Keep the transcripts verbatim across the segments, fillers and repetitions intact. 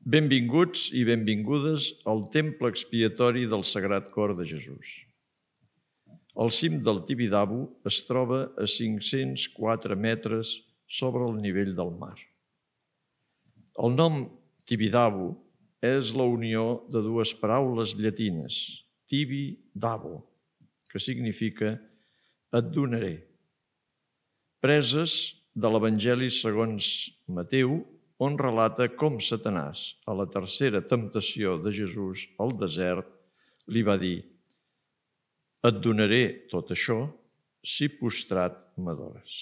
Benvinguts i benvingudes al temple expiatori del Sagrat Cor de Jesús. El cim del Tibidabo es troba a cinc-cents quatre metres sobre el nivell del mar. El nom Tibidabo és la unió de dues paraules llatines, tibi dabo, que significa et donaré, preses de l'Evangeli segons Mateu, on relata com Satanàs, a la tercera temptació de Jesús al desert, li va dir: et donaré tot això si postrat m'adores.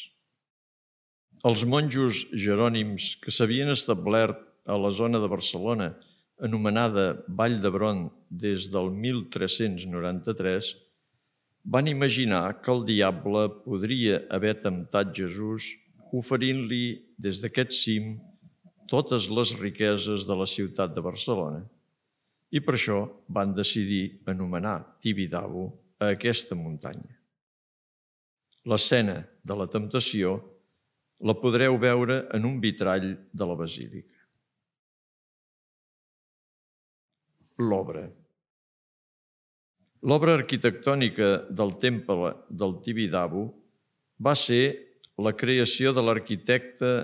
Els monjos jerònims que s'havien establert a la zona de Barcelona, anomenada Vall d'Hebron des del mil tres-cents noranta-tres, van imaginar que el diable podria haver temptat Jesús oferint-li des d'aquest cim totes les riqueses de la ciutat de Barcelona, i per això van decidir anomenar Tibidabo a aquesta muntanya. L'escena de la temptació la podreu veure en un vitrall de la basílica. L'obra. L'obra arquitectònica del temple del Tibidabo va ser la creació de l'arquitecte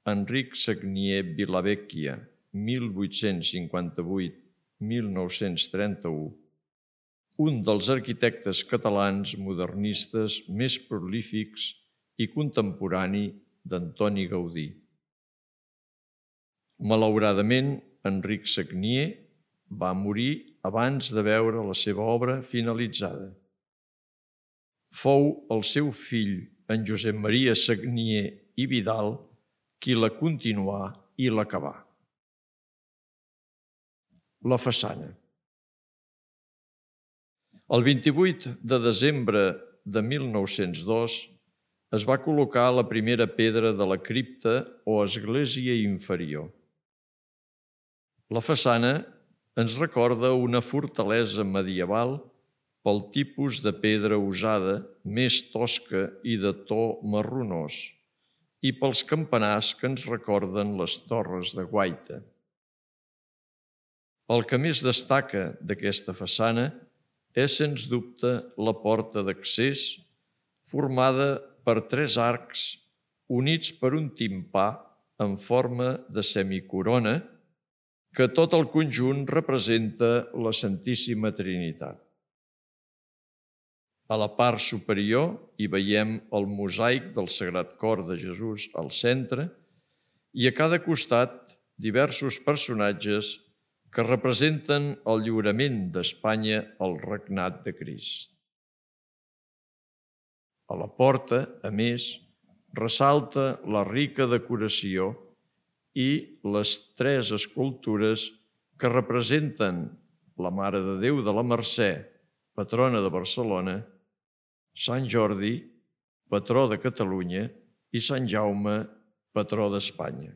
Enric Sagnier Vilavecchia, mil vuit-cents cinquanta-vuit a mil nou-cents trenta-u, un dels arquitectes catalans modernistes més prolífics i contemporani d'Antoni Gaudí. Malauradament, Enric Sagnier va morir abans de veure la seva obra finalitzada. Fou el seu fill, en Josep Maria Sagnier i Vidal, qui la continuà i l'acabà. La façana. El vint-i-vuit de desembre de mil nou-cents dos es va col·locar la primera pedra de la cripta o església inferior. La façana ens recorda una fortalesa medieval pel tipus de pedra usada, més tosca i de to marronós, i pels campanars que ens recorden les torres de guaita. El que més destaca d'aquesta façana és, sens dubte, la porta d'accés, formada per tres arcs units per un timpà en forma de semicorona, que tot el conjunt representa la Santíssima Trinitat. A la part superior hi veiem el mosaic del Sagrat Cor de Jesús al centre i a cada costat diversos personatges que representen el lliurament d'Espanya al regnat de Crist. A la porta, a més, ressalta la rica decoració i les tres escultures que representen la Mare de Déu de la Mercè, patrona de Barcelona, Sant Jordi, patró de Catalunya, i Sant Jaume, patró d'Espanya.